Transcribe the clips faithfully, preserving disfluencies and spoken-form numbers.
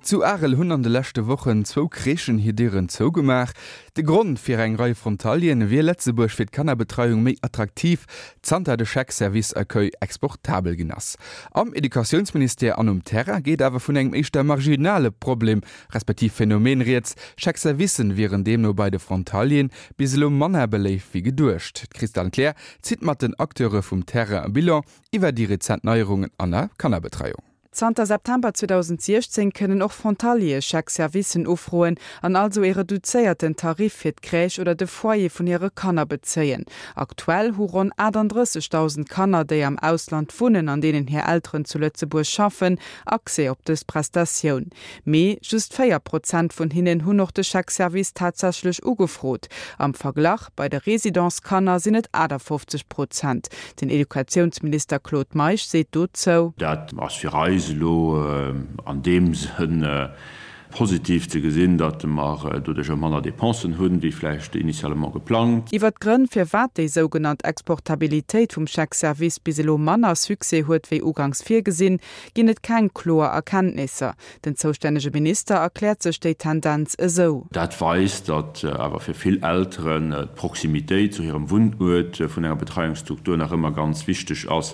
Zu Arel hunn an de leschte Wochen zwou Crèchen hir Dieren zougemaach. De Grond, Fir eng Rei Frontalieren wier Lëtzebuerg fir d'Kannerbetreiung méi attraktiv, zanter de Chèque Service Accueil exportabel ginn ass. Am Educatiounsministère an um Terrain geet awer vun engem éischter marginale Problem, respektiv Phänomen rieds, Chèque-Servicen wieren deemno bei de Frontalieren bis elo manner beléift wéi geduecht. D'Christane Kleer zitt mat den Acteure vum Terrain e Bilan iwwer déi rezent Neierungen an der Kannerbetreiung. Zanter September zweedausendsiechzéng kënnen och Frontaliere Chèque-Servicen ufroen an also ee reduzéierten Tarif fir d'Crèche oder de Foyer vun hire Kanner bezéien. Aktuell hu ronn achtandrëssegdausend Kanner, déi am Ausland wunnen an deenen hir Elteren zu Lëtzebuerg schaffen, Accès op dës Prestatioun. Mee just véier Prozent vun hinnen hunn och de Chèque-Service tatsächlech ugefrot. Am Verglach, bei de Residence-Kanner sinn et achtafofzeg Prozent. Den Educatiounsminister Claude Meisch seet dozou. Dat ass fir eis elo an deem Sënn positiv ze gesinn, datt mer doduercher manner Dépensen hunn, wéi vläicht initialement geplangt. Iwwer d'Grënn, firwat déi sougenannt Exportabilitéit vum Chèque-service bis elo manner Succès huet wéi uganks virgesinn, ginn et keng kloer Erkenntnisser. Den zoustännege Minister erkläert sech déi Tendenz esou. Dat weist, datt awer fir vill Elteren d'Proximitéit zu hirem Wunnuert vun enger Betreiungsstruktur nach ëmmer ganz wichteg ass,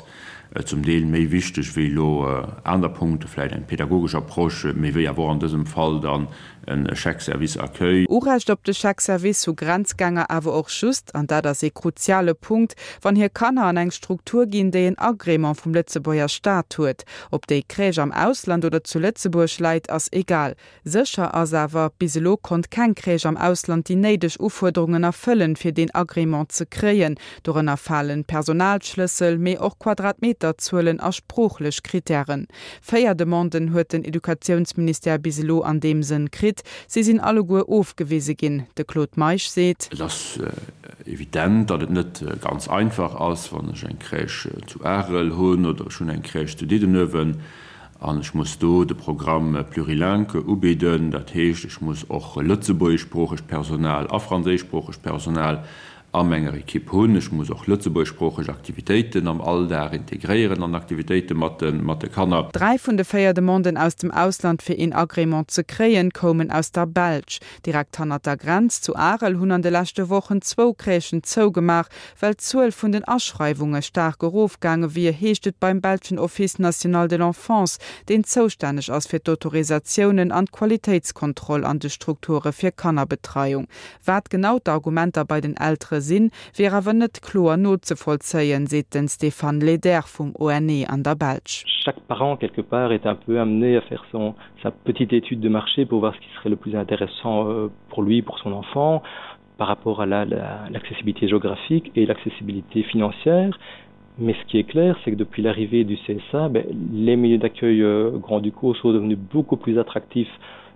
zum Deel méi wichteg wéi elo aner Punkte, vläicht eng pädagogesch Approche, méi wéi awer och an dësem Fall dann e Chèque service accueil. Urecht op de Chèque service hu Grenzgänger awer och just, an dat ass ee kruziale Punkt, wann hir Kanner an eng Struktur ginn, déi en Agrément vum Lëtzebuerger Staat huet. Ob déi Crèche am Ausland oder zu Lëtzebuerg läit, ass egal. Sécher ass awer, bis elo konnt keng Crèche am Ausland déi néideg Ufuerderungen erfëllen, fir deen Agrément ze kréien. Dorënner falen Personalschlëssel, mee och Quadratmeterzuelen a sproochlech Krittären. Véier Demanden huet den Educatiounsministère bis elo an deem Sënn kritt. Si sinn alleguer ofgewise ginn. De Claude Meisch seet. Et ass evident, datt et net ganz einfach ass, wann ech eng Crèche zu Arel hunn oder ech hunn eng Crèche zu Diddenuewen an ech muss do de Programme plurilingue ubidden. Dat heescht, ech muss och lëtzebuergeschsproochegt Personal a franséischsproochegt Personal a menger Ekipp hunn. Ech muss och lëtzebuergeschsproocheg Aktivitéiten am Alldag integréieren an Aktivitéite mat de Kanner. Dräi vun de véier Demanden aus dem Ausland fir een Agrément ze kréien, koumen aus der Belsch. Direkt hannert der Grenz zu Arel hunn an de leschte Wochen zwou Crèchen zougemaach, well d'Zuel vun den Aschreiwunge staark erofgaange wier, heescht et beim belschen Office national de l'enfance, deen zoustänneg ass fir d'Autorisatiounen an d'Qualitéitskontroll an de Strukture fir Kannerbetreiung. Wat genau d'Argumenter bei den Eltere sinn, wier awer net kloer nozevollzéien, seet den Stéphane Leder vum O N E an der Belsch. Chaque parent, quelque part, est un peu amené à faire son, sa petite étude de marché pour voir ce qui serait le plus intéressant pour lui, pour son enfant, par rapport à la, la, l'accessibilité géographique et l'accessibilité financière. Mais ce qui est clair, c'est que depuis l'arrivée du C S A, ben, les milieux d'accueil, euh, grand-ducaux sont devenus beaucoup plus attractifs,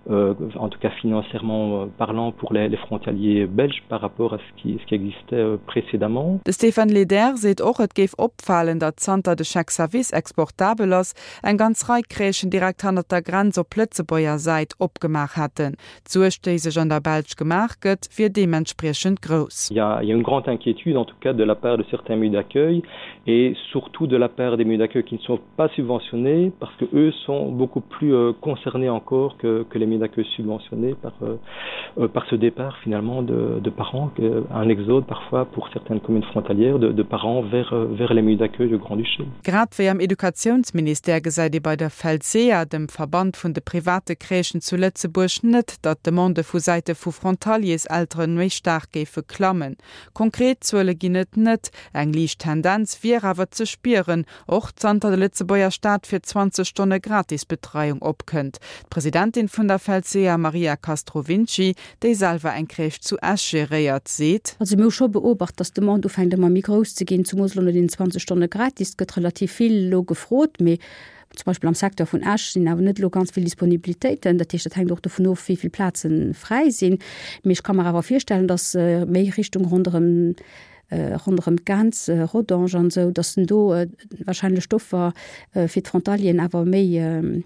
euh, en tout cas financièrement, euh, parlant, pour les, les frontaliers belges par rapport à ce qui, ce qui existait, euh, précédemment. De Stéphane Leder seet och, et géif opfalen, datt zanter de Chèque Service exportabel ass, eng ganz Rei Crèchen direkt hannert der Grenz op Lëtzebuerger Säit opgemaach hätten. D'Suerg, déi sech an der Belsch gemaach gëtt, wier deementspriechend grouss. Il y a, il y a une grande inquiétude, en tout cas de la part de certains milieux d'accueil et surtout de la part des milieux d'accueil qui ne sont pas subventionnés, parce que eux sont beaucoup plus, euh, concernés encore que, que les milieux d'accueil subventionnés par, euh, euh, par ce départ finalement de, de parents, un exode parfois pour certaines communes frontalières de, de parents vers, euh, vers les milieux d'accueil du Grand-Duché. Grad wéi am Educatiounsministère gesäit ee bei der Felsea, dem Verband vun de private Crèchen zu Lëtzebuerg, net, datt d'Demande vu Säite vu Frontalierselteren méi staark géife klammen. Konkret Zuele ginn et net. Eng liicht Tendenz wier awer ze spieren, och zanter de Lëtzebuerger Staat fir zwanzeg Stonne Gratisbetreiung opkënnt. D'Presidentin vun der Felsea, Maria Castrovinci, déi selwer eng Crèche zu Esch geréiert, seet: Also mir hu scho beobacht, dass d'Demande ufänkt ëmmer méi grouss ze ginn, zumoos lo no den zwanzeg Stonne gratis. Et gëtt relativ vill lo gefrot, mee zum Beispill am Secteur vun Esch sinn awer net lo ganz vill Disponibilitéiten. Dat heescht, dat hänkt och dovun of, wéi vill Plazen fräi sinn. Mee ech kann mir awer virstellen, dass, äh, méi Richtung ronderëm ronderëm d'Grenz, Rodange an esou, datt en do wahrscheinlech d'Offer fir d'Frontalieren awer méi,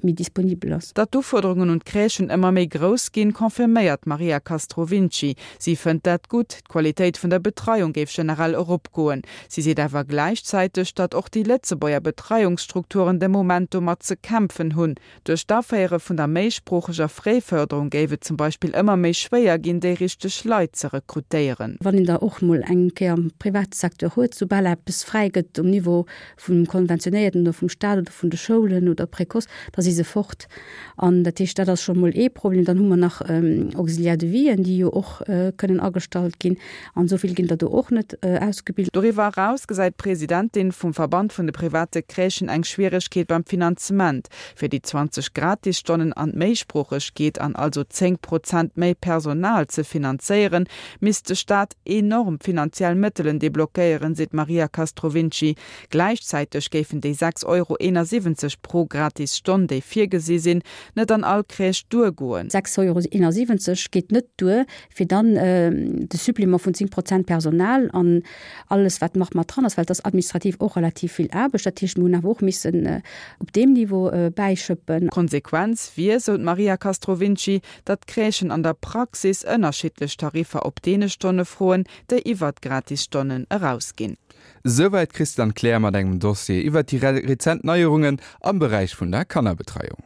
méi disponibel ass. Datt d'Ufuerderungen un d'Crèchen ëmmer méi grouss ginn, confirméiert d'Maria Castrovinci. Si fënnt dat gutt, d'Qualitéit vun der Betreiung géif generell eropgoen. Si seet awer gläichzäiteg, datt och déi Lëtzebuerger Betreiungsstrukturen de Moment domat ze kämpfen hunn. Duerch d'Aféiere vun der méisproocheger Fréifërderung géif et zum Beispill ëmmer méi schwéier ginn, déi richteg Leit ze rekrutéieren. Wann een der och mol eng Kéier am private Secteur huet, soubal eppes fräi gëtt um Niveau vum Konventionéierten oder vum Staat oder vun de Schoulen oder Précoce, da si se fort. An dat heescht, dat ass scho mol ee Problem. Dann hu mer nach Auxiliaires de vie-en, déi jo och kënnen agestallt ginn. An esou vill ginn der do och net ausgebilt. Doriwwer eraus gesäit d'Presidentin vum Verband vun de private Crèchen eng Schwieregkeet beim Finanzement. Fir déi zwanzeg Gratisstonnen an d'Méisproochegkeet an also zéng Prozent méi Personal ze finanzéieren, misst de Staat enorm finanziell Mëttelen deblockéieren, seet d'Maria Castrovinci. Gläichzäiteg géifen déi sechs Euro eenasiwwenzeg pro gratis Stonn, déi virgesi sinn, net an all Crèche duergoen. Sechs Euro eenasiwwenzeg geet net duer, fir dann de Supplément vun zéng Prozent Personal an alles, wat nach mat dran ass, well et ass administrativ och relativ vill Aarbecht. Dat heescht, mir hunn awer och missen op deem Niveau bäischëppen. D'Konsequenz wier, sou d'Maria Castrovinci, datt d'Crèchen an der Praxis ënnerschiddlech Tariffer op deene Stonne froen, déi iwwer d'Gratisstonnen erausginn. Souwäit d'Christiane Kleer mat engem Dossier iwwer déi rezent Neierungen am Beräich vun der Kannerbetreiung.